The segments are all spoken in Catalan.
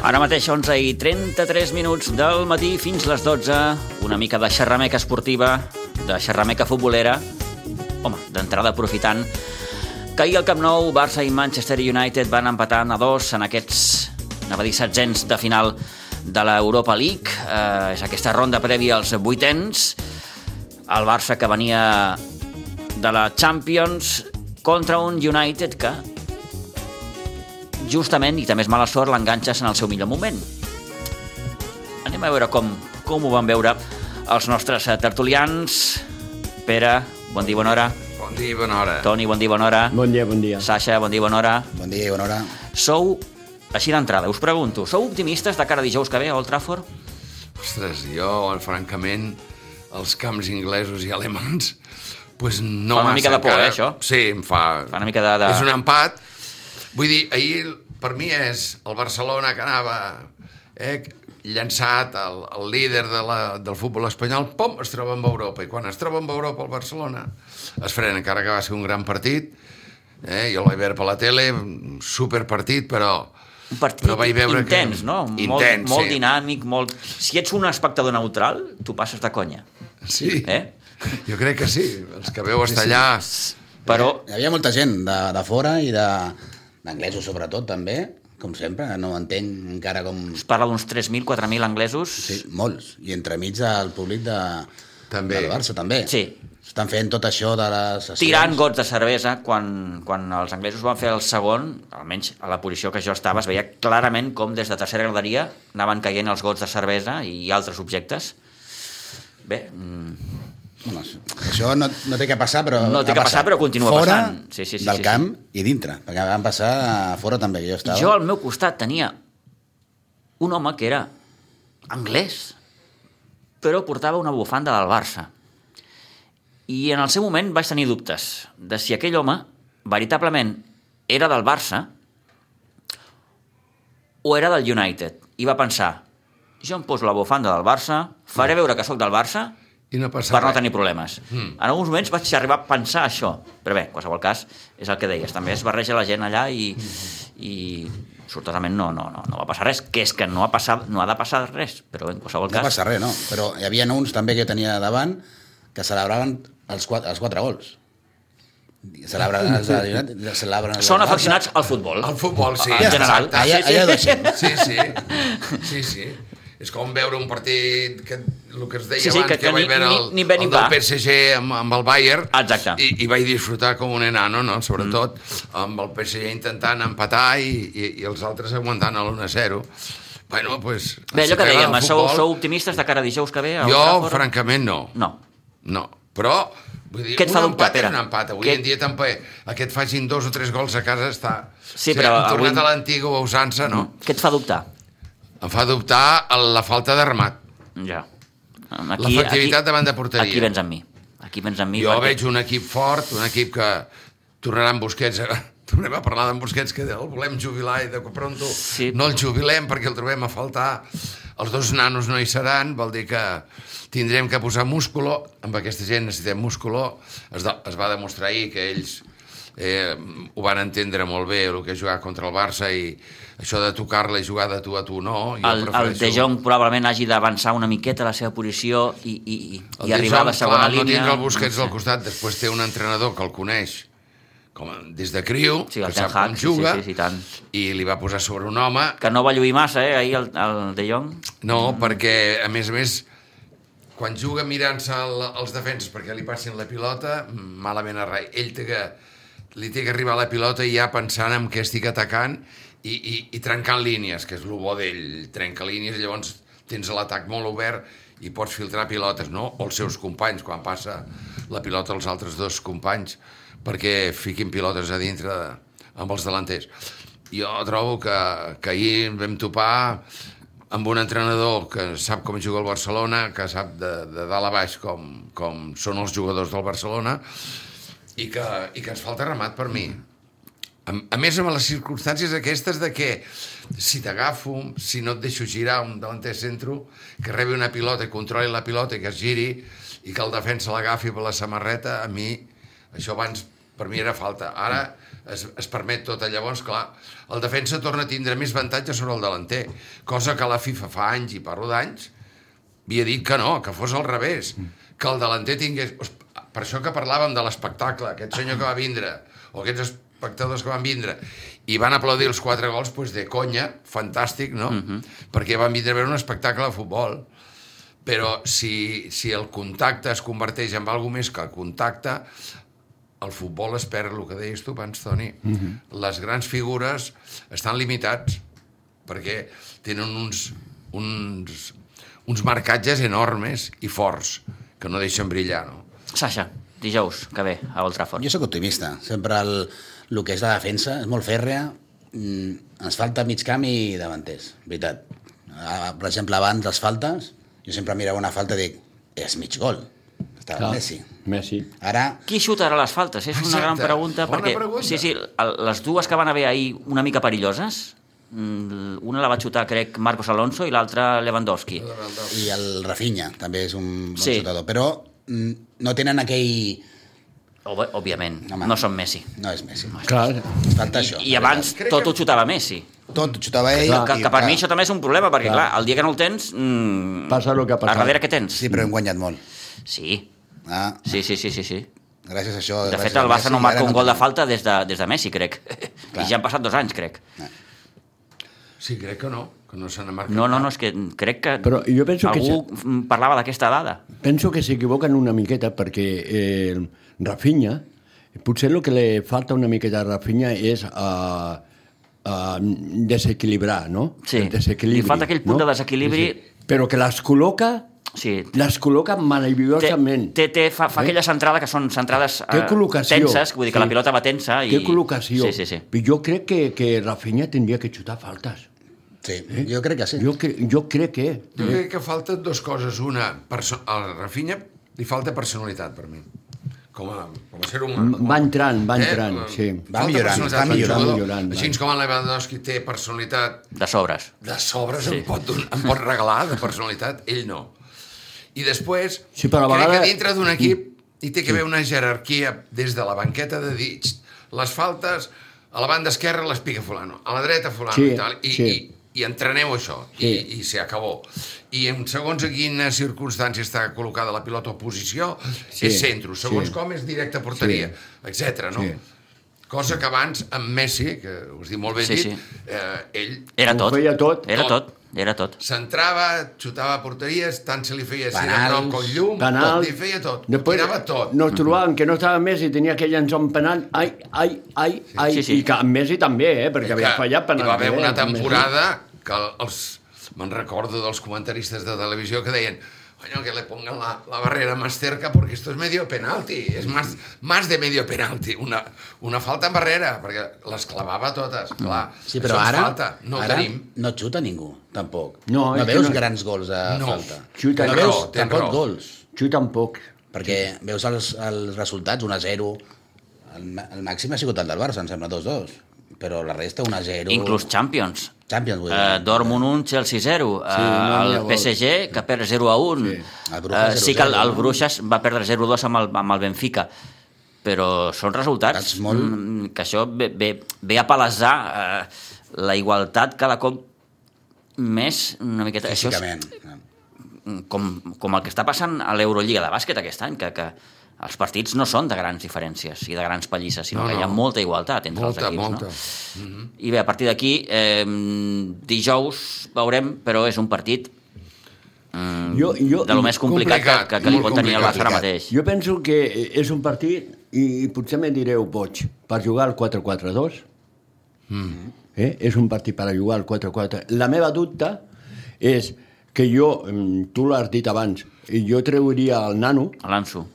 Ara mateix 11:33 del matí fins les 12, una mica de xerrameca esportiva, de xerrameca futbolera, home, d'entrada aprofitant que ahir al Camp Nou Barça i Manchester United van empatant a 2 en aquests, anava a dir, setzents de final de l'Europa League. És aquesta ronda prèvia als vuitens. El Barça que venia de la Champions contra un United que justament, i també és mala sort, l'enganxes en el seu millor moment. Anem a veure com ho van veure els nostres tertulians. Pere, bon dia, bona hora. Bon dia, bona hora. Toni, bon dia, bona hora. Bon dia, bon dia. Sasha, bon dia, bona hora. Bon dia i bona hora. Sou, així d'entrada, us pregunto, sou optimistes de cara a dijous que ve a Old Trafford? Ostres, jo, francament, els camps inglesos i alemans, pues no Fa una massa mica de por, encara. això? Sí, em fa Fa una mica de... És un empat. Vull dir, ahir per mi és el Barcelona que anava llançat, el líder del futbol espanyol, pom, es troba amb Europa. I quan es troba amb Europa el Barcelona es frena, encara que va ser un gran partit. Jo l'he vist per la tele, superpartit, però un partit no vaig veure intens, que... no? Intens, molt sí. dinàmic, molt... Si ets un espectador neutral, tu passes de conya. Sí, Jo crec que sí. Els que veu estar allà... Però... Hi havia molta gent de fora i d'anglesos sobretot també, com sempre, no entenc encara com... Es parla d'uns 3.000, 4.000 anglesos. Sí, molts. I entremig el públic També. del Barça també. Sí. Estan fent tot això de les sessions. Tirant gots de cervesa, quan els anglesos van fer el segon, almenys a la posició que jo estava, es veia clarament com des de tercera graderia anaven caient els gots de cervesa i altres objectes. Bé... Bueno, això no té que passar, però no té que passar, però continua fora passant. Sí, del camp i dintre, perquè van passar fora també, que jo estava. Jo al meu costat tenia un home que era anglès, però portava una bufanda del Barça. I en el seu moment vaig tenir dubtes de si aquell home veritablement era del Barça o era del United. I va pensar, jo em poso la bufanda del Barça, faré veure que sóc del Barça I no per no tenir problemes. En alguns moments vaig arribar a pensar això, però bé, en qualsevol cas és el que deies, també es barreja la gent allà i sortosament no va passar res, que és que no ha de passar res, però en qualsevol cas... No passa res, no, però hi havia uns també que jo tenia davant que celebraven els 4 gols. Són aficionats al futbol. Al futbol, sí. En general. Sí. És com veure un partit, el que es deia abans, que vaig veure el del PSG amb el Bayern. Exacte. I vaig disfrutar com un enano, no? Sobretot amb el PSG intentant empatar i els altres aguantant l'1-0. Bueno, pues... Bé, allò que dèiem, sou optimistes de cara a dijous que ve? Jo, francament, no. No, però... Vull dir, què et fa dubtar, Pere? Un empat. Avui en dia també que et facin 2 o 3 gols a casa està... Sí, però hem tornat a l'antiga usança, no? Què et fa dubtar? Em fa dubtar la falta de remat. Ja. L'efectivitat davant de porteria. Aquí vens amb mi. Jo veig un equip fort, un equip que tornarà amb Busquets. Tornem a parlar d'en Busquets, que el volem jubilar i de pronto no el jubilem perquè el trobem a faltar. Els 2 nanos no hi seran, vol dir que tindrem que posar músculo. Amb aquesta gent necessitem músculo. Es va demostrar ahir que ells ho van entendre molt bé, el que és jugar contra el Barça, i això de tocar-la i jugar de tu a tu no. El De Jong probablement hagi d'avançar una miqueta a la seva posició i arribar a la segona línia. No tindrà el Busquets al costat, després té un entrenador que el coneix des de criu, que sap com juga, i li va posar sobre un home... Que no va lluir massa, ahir el De Jong. No, perquè, a més, quan juga mirant-se els defenses perquè li passin la pilota, malament a rai. Ell li té que arribar la pilota i ja pensant en què estic atacant i trencant línies, que és el bo d'ell. Trenca línies, llavors tens l'atac molt obert i pots filtrar pilotes, no? O els seus companys, quan passa la pilota als altres 2 companys, perquè fiquin pilotes a dintre amb els delanters. Jo trobo que ahir vam topar amb un entrenador que sap com juga el Barcelona, que sap de dalt a baix com són els jugadors del Barcelona, i que ens falta remat per mi. A més, amb les circumstàncies aquestes de que si t'agafo, si no et deixo girar un delanter centro, que rebi una pilota i controli la pilota i que es giri i que el defensa l'agafi per la samarreta, a mi això abans per mi era falta. Ara es permet tot. Llavors, clar, el defensa torna a tindre més avantatge sobre el delanter, cosa que la FIFA fa anys, i parlo d'anys, havia dit que no, que fos al revés, que el delanter tingués... Per això que parlàvem de l'espectacle, aquest senyor que va vindre, o aquests espectadors que van vindre, i van aplaudir els 4 gols, doncs de conya, fantàstic, no? Perquè van vindre a veure un espectacle de futbol. Però si el contacte es converteix en alguna més que el contacte, el futbol es perd, el que deies tu abans, Toni. Les grans figures estan limitats perquè tenen uns marcatges enormes i forts que no deixen brillar, no? Sasha, dijous que ve a Old Trafford. Jo sóc optimista. Sempre el que és la defensa és molt fèrrea. Ens falta mig camp i davanters, veritat. Per exemple, abans les faltes, jo sempre mirava una falta i dic, és mig gol. Estava Messi. Ara... Qui xutarà les faltes? És una gran pregunta. Bona perquè, pregunta. Sí, les dues que van haver ahir una mica perilloses, una la va xutar, crec, Marcos Alonso i l'altra Lewandowski. I el Rafinha també és un bon Sí. xutador. Però no tenen aquell... Òbviament, Home. no són Messi. No és Messi. Clar, Falta això. I abans tot ho xutava Messi. Tot xutava ell. Que per mi això també és un problema, perquè clar, el dia que no el tens... Passa el que ha passat. A darrere què tens? Sí, però hem guanyat molt. Sí. Sí. Gràcies a això... De fet, el Barça no marca un gol de falta des de Messi, crec. I ja han passat 2 anys, crec. Sí, crec que no se n'ha marcat. No, és que crec que Però jo penso que algú parlava d'aquesta dada. penso que s'equivoquen una miqueta perquè Rafinha, potser el que li falta una miqueta a Rafinha és desequilibrar, no? Sí, El desequilibri, li falta aquell punt de desequilibri. Sí. Però que les col·loca Sí. meravellosament. Fa aquella centrada que són centrades Té col·locació. tenses, vull dir que la pilota va tensa. Té col·locació. Sí. Jo crec que Rafinha tindria que xutar faltes. Sí, jo crec que sí. Jo crec que... Jo crec que falten 2 coses. Una, a Rafinha li falta personalitat, per mi. Com a ser humà. Va entrant, sí. Va millorant. Així com el Lewandowski té personalitat De sobres. sí. em pot regalar de personalitat, ell no. I després, Sí, però a crec vegades... que dintre d'un equip hi té que haver una jerarquia des de la banqueta de dir les faltes a la banda esquerra les pica fulano, a la dreta fulano Sí, i tal, i entreneu això, i se acabó. I en segons a quina circumstància està col·locada la pilota o posició, és centro, segons com és directe a porteria, etc. no? Sí. Cosa que abans, amb Messi, que us dic molt ben dit, ell Era Ho tot. feia tot. Era tot. s'entrava, xutava a porteries, tant se li feia si de Penals. prop com llum, Penal. tot, li feia tot, Després tirava tot. nos trobàvem que no estava Messi, tenia que llançar un penal, Sí. i que amb Messi també, perquè havia fallat penal. Hi va haver una temporada que me'n recordo dels comentaristes de televisió que deien coño, que le pongan la barrera más cerca porque esto es medio penalti, es más de medio penalti, una falta en barrera, perquè les clavava totes, clar. Sí, però això ens ara, falta, no ara tenim. no xuta ningú, tampoc. No, és que veus no- grans gols a No. falta. Xuta, no tens veus raó, tens tampoc raó. gols, Xuta tampoc. perquè veus els resultats, 1-0, el màxim ha sigut el del Barça, em sembla 2-2, però la resta 1-0... Inclús Champions. Champions, vull dir. Dortmund 1, Chelsea 0. no hi ha El gols. PSG, que perd 0-1. Sí. El Brujas Sí que el 0-0, Bruixes va perdre 0-2 amb el Benfica. Però són resultats que això ve a palesar la igualtat cada cop més una miqueta... Això és Físicament. com el que està passant a l'Eurolliga de bàsquet aquest any, que els partits no són de grans diferències i de grans pallisses, sinó que hi ha molta igualtat entre els equips. Molta. No? I bé, a partir d'aquí, dijous veurem, però és un partit de lo més complicat que li pot tenir el Barça ara mateix. Jo penso que és un partit, i potser me direu boig, per jugar al 4-4-2. És un partit per jugar al 4-4. La meva dubte és que jo, tu l'has dit abans, jo treuria el nano, L'Anso.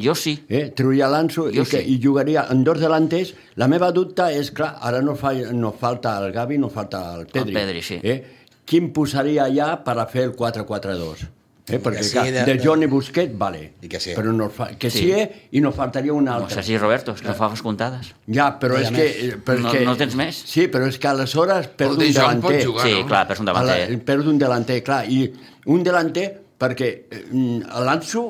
Jo sí. Treuria l'Anso i jugaria en 2 delanters. La meva dubte és, clar, ara no falta el Gavi, no falta el Pedri. El Pedri, sí. Qui em posaria allà per a fer el 4-4-2? Perquè sí, clar, de Johnny Busquets, vale. I que sí. Però i nos faltaria un altre. Sergi Roberto, és que no fa comptades. Ja, però és que... No tens més? Sí, però és que aleshores perdo un De Jong pot delanter. jugar, Sí, no? clar, perds un davanter. Perdo un delanter, clar. I un delanter, perquè l'Anso,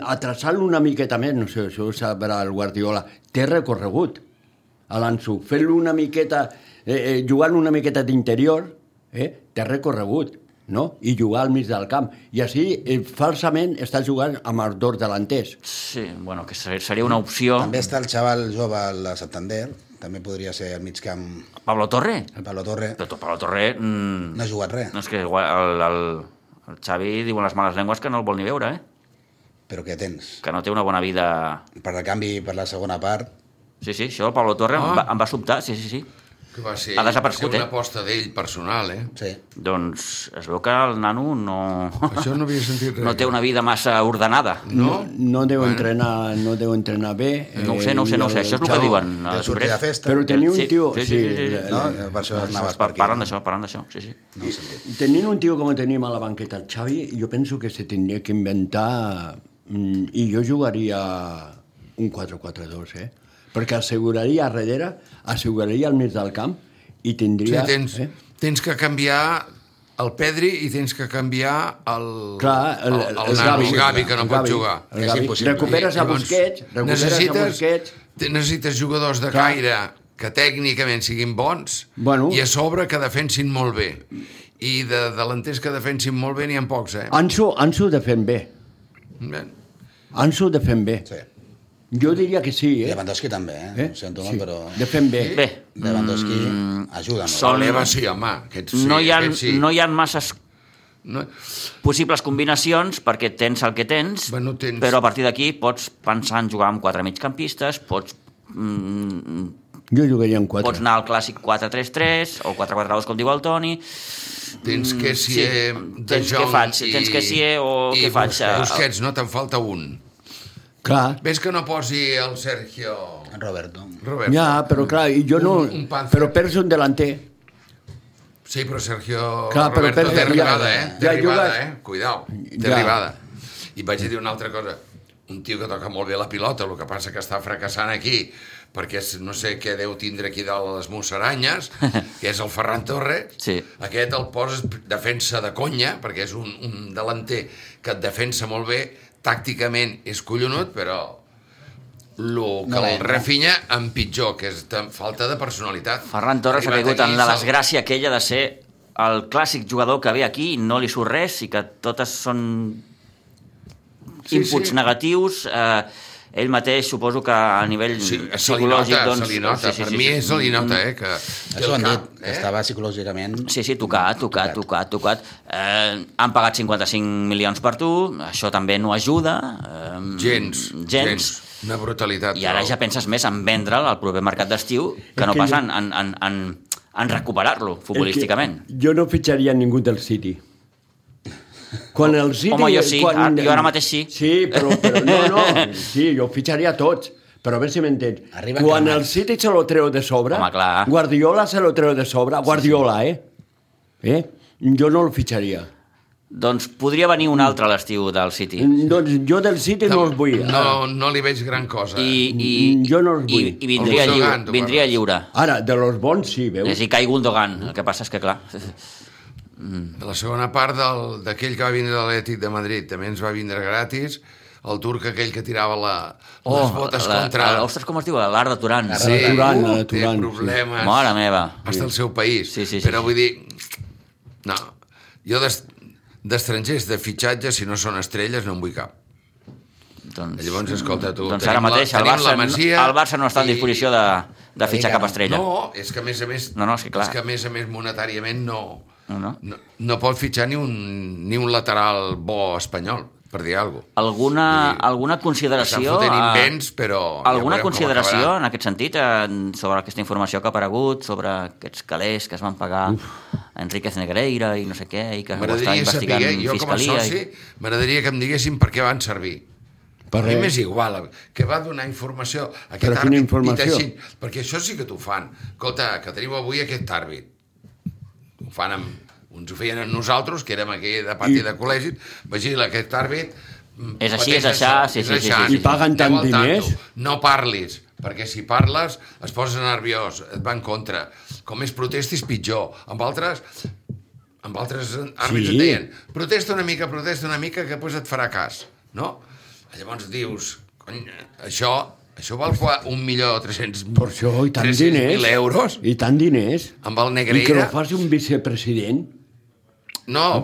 a traçar-lo una miqueta més, no sé, això ho sabrà el Guardiola, té recorregut. a l'Ansu, fent-lo una miqueta, jugant una miqueta d'interior, té recorregut, no? I jugar al mig del camp. I així, falsament, està jugant amb els dos delanters. Sí, bueno, que seria una opció. També està el xaval jove al Santander, també podria ser al mig camp Pablo Torre? el Pablo Torre. Però Pablo Torre... No ha jugat res, No, és que el Xavi diuen les males llengües que no el vol ni veure, però què tens? que no té una bona vida... Per el canvi, per la segona part, Sí, el Pablo Torre em va sobtar, sí. Que va ser, Ha desaparegut, una aposta d'ell personal, sí. Doncs es veu que el nano no... Això no havia sentit res. no té una vida massa ordenada. No deu entrenar bé. No ho sé, això és el que diuen. Deu sortir de festa. Però tenir un Sí, tio... sí. No? Per això anaves per aquí. Parlant d'això, sí. No ho sentit. Tenint un tio com tenim a la banqueta, el Xavi, jo penso que se tindria que inventar... I jo jugaria un 4-4-2, perquè asseguraria a darrere, asseguraria al mig del camp i tindria... Sí, tens que canviar el Pedri i tens que canviar el Gavi, que no pot jugar. El És Gavi. impossible. Recuperes a Busquets, necessites jugadors de caire que tècnicament siguin bons i a sobre que defensin molt bé. I de delanters que defensin molt bé n'hi ha pocs, Ansu defèn bé. Ansu defèn bé. Sí. Jo diria que sí, Lewandowski també, ho sento molt, però... Defèn bé. Bé, Lewandowski ajuda molt. El Leva sí, home. no hi ha masses possibles combinacions perquè tens el que tens, però a partir d'aquí pots pensar en jugar amb 4 migcampistes, pots Jo jugaria en 4. Pots anar al clàssic 4-3-3 o 4-4-2, com diu el Toni. Tens que si de Jong tens que si o què faig? Busquets, no te'n falta un. Clar. Ves que no posi el Sergio... Roberto. Ja, però clar, i jo no... Però perds un delanter. Sí, però Sergio però Roberto té arribada, Té ja arribada, jugues... Cuidao, té arribada. I vaig a dir una altra cosa. Un tio que toca molt bé la pilota, el que passa que està fracassant aquí, perquè no sé què deu tindre aquí dalt a les musaranyes, que és el Ferran Torres. Sí. Aquest el poses defensa de conya, perquè és un delanter que et defensa molt bé, tàcticament és collonut, però el Rafinha en pitjor, que és falta de personalitat. Ferran Torres ha caigut en la desgràcia aquella de ser el clàssic jugador que ve aquí i no li surt res i que totes són inputs negatius. Ell mateix suposo que a nivell psicològic... Se li nota, per mi se li nota, que això ho han dit, que estava psicològicament... Sí, tocat. Han pagat 55 milions per tu, això també no ajuda. Gens. Una brutalitat. I ara ja penses més en vendre'l al proper mercat d'estiu que no pas en recuperar-lo futbolísticament. Jo no fitxaria ningú del City. Quan el City... Home, jo sí, jo ara mateix sí. Sí, però no, sí, jo fitxaria tots, però a veure si m'entens. Quan el City se lo treu de sobre, Guardiola se lo treu de sobre, Guardiola, jo no el fitxaria. Doncs podria venir un altre a l'estiu del City. Doncs jo del City no els vull. No li veig gran cosa. Jo no els vull. I vindria lliure. Ara, de los bons sí, veus? És a dir, Kai Gundogan, el que passa és que clar... De la segona part d'aquell que va vindre de l'Atlètic de Madrid també ens va vindre gratis, el turc aquell que tirava les botes contra... Ostres, com es diu? L'Art de Turan. Sí, té problemes. Mare meva. Hasta el seu país. Sí. Però vull dir... No, jo d'estrangers de fitxatge, si no són estrelles, no en vull cap. Llavors, escolta, tu... Doncs ara mateix el Barça no està en disposició de fitxar cap estrella. No, és que a més a més... És que a més monetàriament no pot fitxar ni un lateral bo espanyol, per dir alguna cosa. Alguna consideració... Estan fotent invents, però... Alguna consideració en aquest sentit sobre aquesta informació que ha aparegut, sobre aquests calés que es van pagar a Enríquez Negreira i no sé què, i que ho està investigant Fiscalia... Jo com a soci m'agradaria que em diguessin per què van servir. A mi m'és igual, que va donar informació a aquest àrbit, perquè això sí que t'ho fan. Escolta, que tenim avui aquest àrbit. Ho fan uns ho feien amb nosaltres, que érem aquí de pati de col·legi, vigila, aquest àrbit... És així, és això, sí. I paguen tant diners? No parlis, perquè si parles es posa nerviós, et va en contra. Com més protestis, pitjor. Amb altres àrbits et deien protesta una mica, que després et farà cas, no? Llavors dius, cony, això Això val 1.300.000 Per això, i tant diners. euros I tant diners. amb el I que Negreira. no faci un vicepresident. No,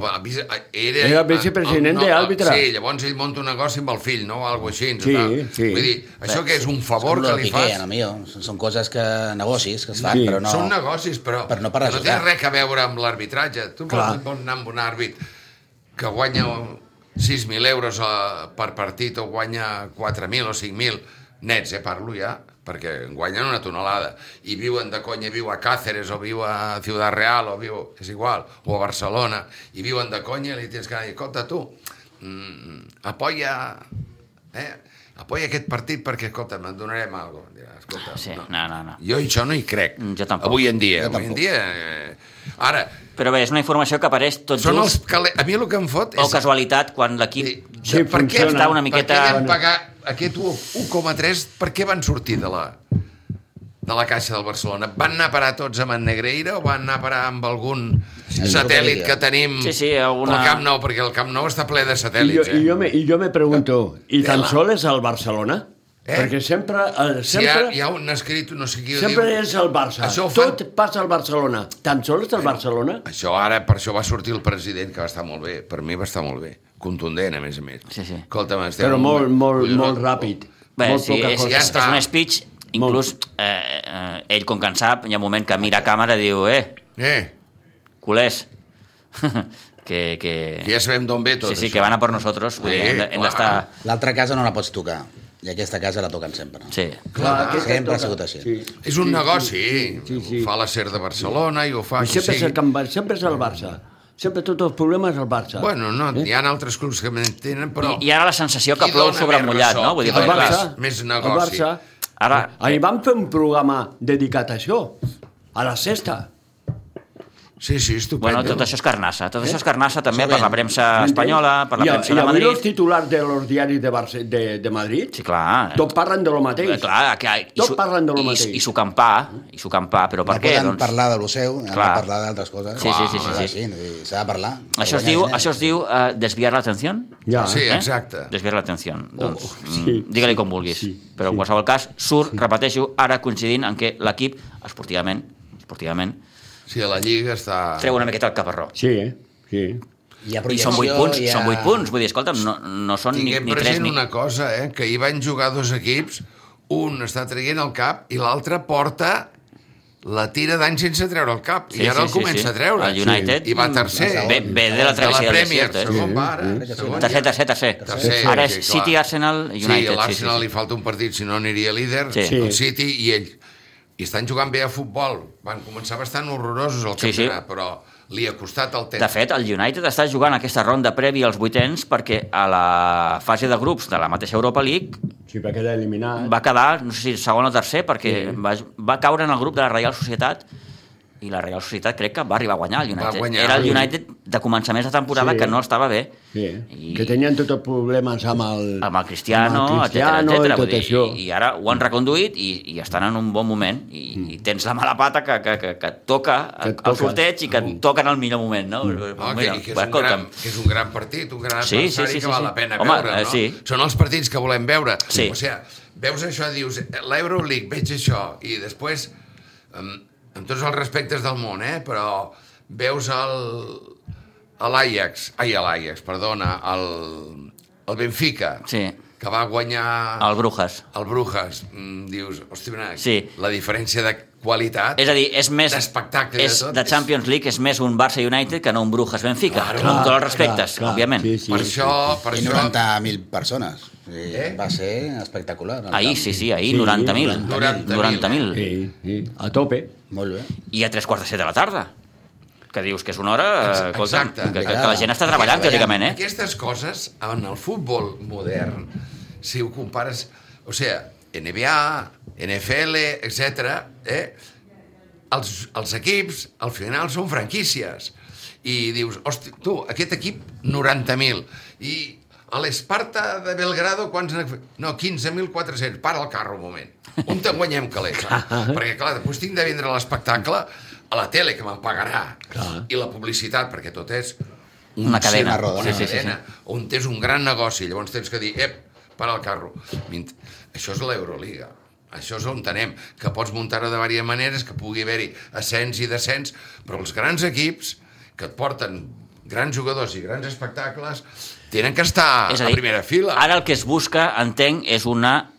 Era vicepresident d'àrbitre. Sí, llavors ell monta un negoci amb el fill, no? Algo així. Sí, sí. Vull dir, això que és un favor que li fas... Són coses negocis que es fan, Sí. però no... Són negocis, però Per no per no té ajudar. res a veure amb l'arbitratge. Tu Clar. pots anar amb un àrbit que guanya 6.000 euros per partit o guanya 4.000 o 5.000 nets, parlo ja, perquè guanyen una tonelada i viuen de conya, viu a Cáceres o viu a Ciudad Real o viu, és igual, o a Barcelona, i viuen de conya i li tens que dir, escolta tu, apoya aquest partit perquè, escolta, me'n donarem alguna cosa. Escolta, Sí, no. Jo això no hi crec. Jo tampoc. Avui en dia. Jo tampoc. Ara, Però bé, és una informació que apareix tot són just, a mi el que em fot o és... casualitat, quan l'equip... Sí, per què funciona. Està una miqueta- Per què vam pagar aquest 1,3? Per què van sortir de la caixa del Barcelona? Van anar a parar tots amb en Negreira o van anar a parar amb algun satèl·lit que tenim Sí, alguna- al Camp Nou? Perquè el Camp Nou està ple de I satèl·lits, jo me pregunto, i tan Tela. sols és el Barcelona? Perquè sempre... Si hi ha un escrit, no sé qui ho Sempre diu... és el Barça. Això ho fan- Tot passa al Barcelona. Tan sols és el Barcelona? Això ara, per això va sortir el president, que va estar molt bé. Per mi va estar molt bé. Contundent, a més a més. Sí. Escolta'm, Però molt ràpid. Bé, Molt sí, poca és cosa. Ja és està. un speech, inclús ell, com que en sap, hi ha un moment que mira a càmera i diu, culers, que Ja sabem d'on ve tot sí, això. que van a per nosaltres, vull dir, hem d'estar... L'altra casa no la pots tocar, i aquesta casa la toquen sempre. Sí. Clar, aquesta sempre ha toca. sigut així. Sí. És un negoci. Sí. Ho fa la SER de Barcelona i ho fa... I sempre és el Barça. Sempre tots els problemes és el Barça. Bueno, no, hi ha altres clubs que tenen, però... I ara la sensació que Qui plou dona sobre més mullat, ressò? no? Vull dir, Qui El perquè, dona clar, Barça, més el negoci. Barça. ara... Ahir vam fer un programa dedicat a això, a la sexta. Sí, estupendo. Bueno, tot això és carnassa. Tot això és carnassa també Això per bé. la premsa espanyola, per la premsa de I avui els Madrid. titulars de los diaris de Madrid, Sí, clar. tot parlen de lo mateix. Clar, Tot parlen de lo mateix. I s'ho campar, però per No què? poden Doncs... parlar de lo seu, han de Clar. parlar d'altres coses. Sí. S'ha de parlar. Això es diu desviar l'atenció? Ja. Sí, exacte. Desviar l'atenció. Doncs, sí. digue-li com vulguis. Sí, Però en qualsevol cas, repeteixo, ara coincidint en què l'equip, esportivament, Sí, a la Lliga està... treu una miqueta el caparró. Sí, sí. Hi ha I són 8 punts, hi ha... són 8 punts. Vull dir, escolta'm, no són ni Tinguem 3 present ni... una cosa, que hi van jugar dos equips, un està traient el cap i l'altre porta la tira d'any sense treure el cap. I ara el comença a treure. El United I va tercer. ve de la travessia del Premier, desert. segon va ara. Segon ja. Tercer. Ara és sí, clar. City, Arsenal, United. Sí, a l'Arsenal li falta un partit, si no aniria líder, Sí. el City i ell. I estan jugant bé a futbol. Van començar bastant horrorosos al Sí, campionat, però li ha costat el temps. De fet, el United està jugant aquesta ronda prèvia als vuitens perquè a la fase de grups de la mateixa Europa League Sí, va quedar eliminat. va quedar, no sé si segon o tercer, perquè va caure en el grup de la Reial Societat i la Reial Societat crec que va arribar a guanyar el United. Va guanyar. Era el United de començaments de temporada que no estava bé. Sí, I, que tenien tots els problemes amb el Cristiano, Cristiano etcètera. i tot això. I ara ho han reconduït i estan en un bon moment i tens la mala pata que toca el sorteig i que et toca en el millor moment, no? Que és un gran partit, un gran adversari que val la pena veure, no? Sí. Són els partits que volem veure. Sí. O sigui, veus això, dius, l'Euroleague, veig això, i després, amb tots els respectes del món, però veus l'Ajax, perdona, el Benfica, Sí. que va guanyar... El Brujas. El Brujas. Dius, hosti, Sí. la diferència de qualitat... És a dir, és més... d'espectacle és de tot. de Champions League, és més un Barça United que no un Brujas Benfica. Claro, Amb tots els respectes, clar, òbviament. sí, sí. Per això... I 90.000 persones. Va ser espectacular. Ahir, sí, ahir, Sí, 90.000. 90.000. Sí, a tope. Molt bé. I a 3:45 de la tarda. Que dius que és una hora, escolta, Exacte. que la gent està treballant, teòricament, Aquestes coses, en el futbol modern, si ho compares... O sigui, NBA, NFL, etc. Els equips, al final, són franquícies. I dius, hosti, tu, aquest equip, 90.000. I a l'Esparta de Belgrado, quants... No, 15.400. Para el carro un moment. On te'n guanyem calés? Perquè, clar, després tinc de vendre l'espectacle a la tele, que me'l pagarà. I la publicitat, perquè tot és Una cadena. roda, una Sí. cadena, on tens un gran negoci. Llavors tens que dir, para el carro. Això és l'Euroliga. Això és on anem, que pots muntar-ho de diverses maneres, que pugui haver-hi ascens i descens, però els grans equips que et porten grans jugadors i grans espectacles tenen que estar a primera fila. Ara el que es busca, entenc, és una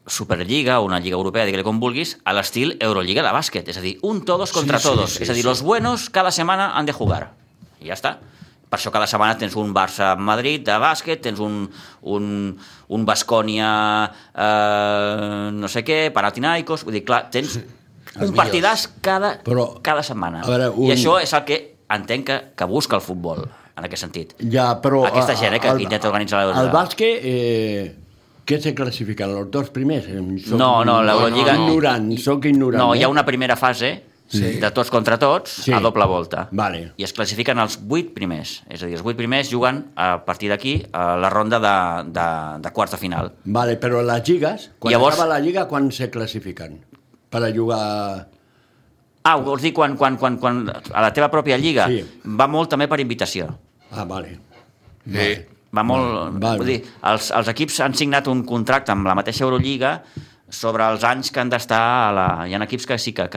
Superliga, una lliga europea, digue-li com vulguis, a l'estil Euroliga de bàsquet. És a dir, un todos contra todos. És a dir, los buenos cada setmana han de jugar. I ja està. Per això cada setmana tens un Barça-Madrid de bàsquet, tens un Baskonia no sé què, Panathinaikos, vull dir, clar, tens un partidàs cada setmana. Veure, I això és el que entenc que busca el futbol, en aquest sentit. Ja, però... Aquesta gent que intenta organitzar l'Euroliga. El bàsquet, què se classifiquen? Els dos primers? No, l'Euroliga... Soc ignorant. No, hi ha una primera fase... Sí. De tots contra tots, sí. A doble volta. Vale. I es classifiquen els 8 primers. És a dir, els 8 primers juguen a partir d'aquí a la ronda de quarts de final. Vale, però les lligues, quan acaba la lliga, quan se classifiquen? Per a jugar... Vols dir quan a la teva pròpia lliga? Sí. Va molt també per invitació. Vale. Sí. Va molt... Vale. Vull dir, els equips han signat un contracte amb la mateixa Eurolliga sobre els anys que han d'estar Hi ha equips que sí que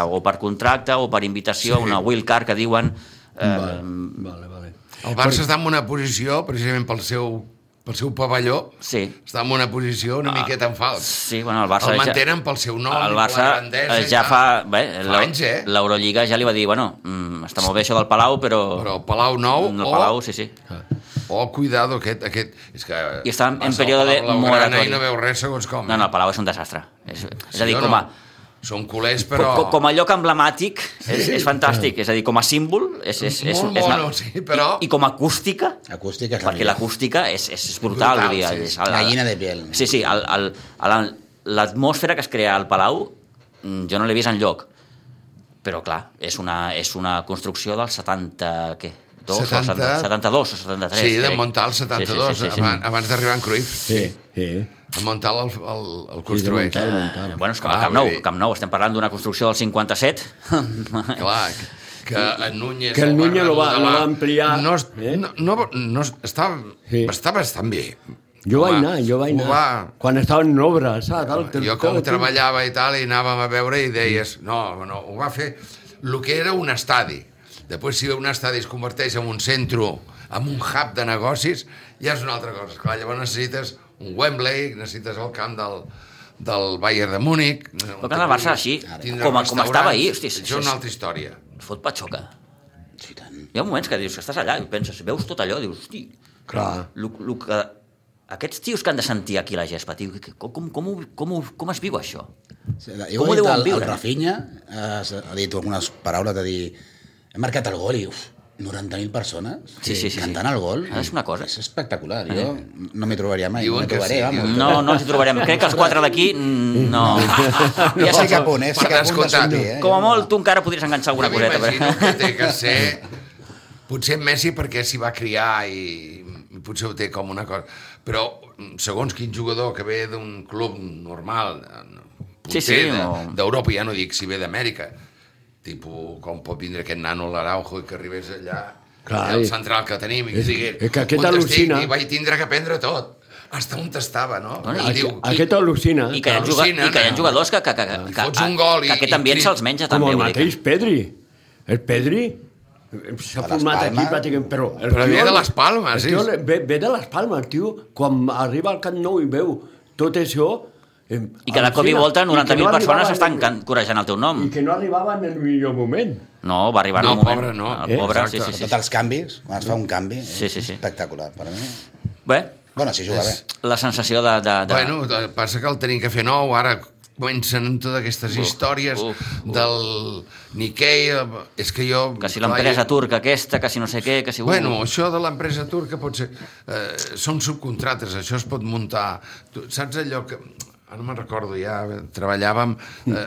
o per contracte o per invitació, una wild card que diuen... Vale. El Barça està en una posició, precisament pel seu pavelló, està en una posició una miqueta en fals. Sí, bueno, el Barça... El mantenen pel seu nom, el Barça la grandesa... ja fa anys, l'Eurolliga ja li va dir, bueno, està molt bé això del Palau, però... Però el Palau nou el Palau, sí. Cuidado, aquest... És que i està en període de moratòria. I no veu res segons com. No, el Palau és un desastre. És a dir, com a... Són culers, però... Com a lloc emblemàtic, és fantàstic. És a dir, com a símbol... Molt mono, sí, però... I com a acústica... Acústica és la perquè l'acústica és brutal. Gallina de piel. Sí, l'atmosfera que es crea al Palau jo no l'he vist enlloc. Però, clar, és una construcció del 70... què? 72 o 73. Sí, de muntar el 72, abans d'arribar en Cruyff. Sí. De muntar el construeix. Bueno, és que el Camp Nou, estem parlant d'una construcció del 57. Clar, que en Núñez... Que el Núñez lo va ampliar. Està bastant bé. Jo vaig anar. Quan estava en obra, saps? Jo com treballava i tal, i anàvem a veure i deies, no, ho va fer el que era un estadi. Després, si un estadi es converteix en un centre, en un hub de negocis, ja és una altra cosa. Clar, llavors necessites un Wembley, necessites el camp del Bayern de Múnich... El camp del Barça, així, com estava ahir. Hosti, això és una altra història. Fot patxoca. Hi ha moments que dius que estàs allà i penses, veus tot allò, dius, hosti... Clar. Aquests tios que han de sentir aquí la gespa, tio, com es viu això? Com ho deuen viure? El Rafinha ha dit algunes paraules de dir hem marcat el gol i 90.000 persones cantant el gol. És una cosa. És espectacular. Jo no m'hi trobaria mai. No ens hi trobarem. Crec que els 4 d'aquí no. Ja sé que a punt, Com a molt tu encara podries enganxar alguna coseta. M'imagino que té que ser... Potser Messi perquè s'hi va criar i potser ho té com una cosa. Però segons quin jugador que ve d'un club normal, d'Europa, ja no dic si ve d'Amèrica, tipus com pot vindre aquest nano l'Araujo i que arribés allà, el central que tenim, i que digui, que aquest al·lucina. I vaig tindre que aprendre tot. Hasta on t'estava, no? Aquest al·lucina. I que hi ha jugadors que aquest ambient se'ls menja també. Com el mateix Pedri. El Pedri s'ha format aquí pràcticament, però ve de les Palmes, ve de les Palmes, tio, quan arriba al Camp Nou i veu tot això, i que de cop i volta 90.000 persones estan corejant el teu nom. I que no arribava en el millor moment. No, va arribar en un moment. Pobre, sí. Tots els canvis, quan es fa un canvi, és espectacular. Per a mi... Bé. Bueno, si juga bé. La sensació de... Bueno, passa que el tenim que fer nou, ara comencen totes aquestes històries del Nikkei, és que jo... Que si l'empresa turca aquesta, que si no sé què, que si... Bueno, això de l'empresa turca pot ser... Són subcontrates, això es pot muntar... Saps allò que... Ara no me'n recordo, ja treballàvem,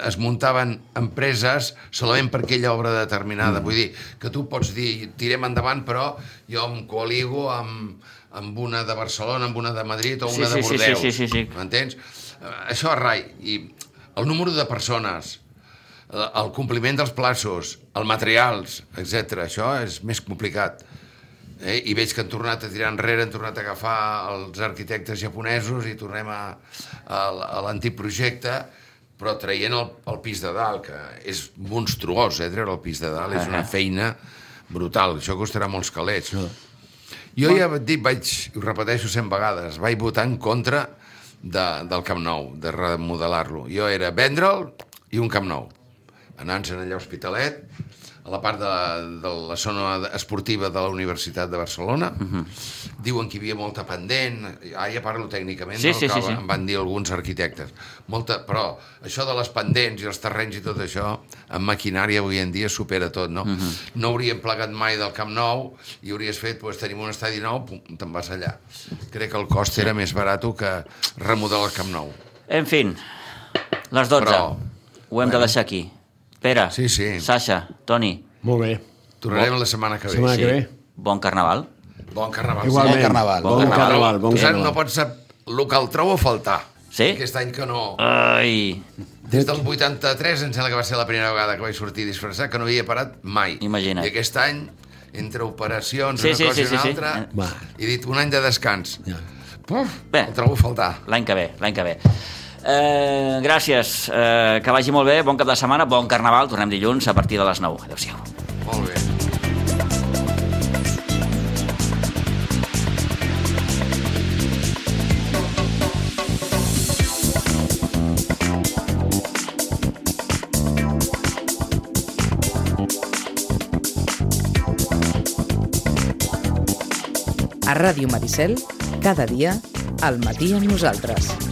es muntaven empreses solament per aquella obra determinada. Vull dir, que tu pots dir, tirem endavant, però jo em coaligo amb una de Barcelona, amb una de Madrid o una de Bordeus. Sí. M'entens? Això és rai. I el número de persones, el compliment dels plaços, els materials, etc. Això és més complicat. I veig que han tornat a tirar enrere, han tornat a agafar els arquitectes japonesos i tornem a l'antic projecte, però traient el pis de dalt, que és monstruós, treure el pis de dalt, és una feina brutal, això costarà molts calés. Jo ja et dic, ho repeteixo 100 vegades, vaig votar en contra del Camp Nou, de remodelar-lo. Jo era vendre'l i un Camp Nou. Anant-se'n allà a Hospitalet, a la part de la zona esportiva de la Universitat de Barcelona. Diuen que hi havia molta pendent, ja parlo tècnicament, sí. em van dir alguns arquitectes. Però això de les pendents i els terrenys i tot això, en maquinària avui en dia supera tot, no? No hauríem plegat mai del Camp Nou i hauries fet, tenim un estadi nou, te'n vas allà. Crec que el cost era més barat que remodelar el Camp Nou. En fi, les 12. Ho hem de deixar aquí. Pere, Sasha, Toni. Molt bé. Tornarem la setmana que ve. Setmana que ve. Bon carnaval. Bon carnaval. Igualment. Bon carnaval. Tu saps, no pots saber el que el trobo a faltar. Sí? Aquest any que no... Ai. Des del 83, em sembla que va ser la primera vegada que vaig sortir disfressat, que no havia parat mai. Imagina't. I aquest any, entre operacions, una cosa i una altra, he dit un any de descans. Bé, el trobo a faltar. L'any que ve. Gràcies, que vagi molt bé, bon cap de setmana, bon carnaval, tornem dilluns a partir de les 9. Adéu-siau. Molt bé. A Ràdio Maricel, cada dia, al matí amb nosaltres.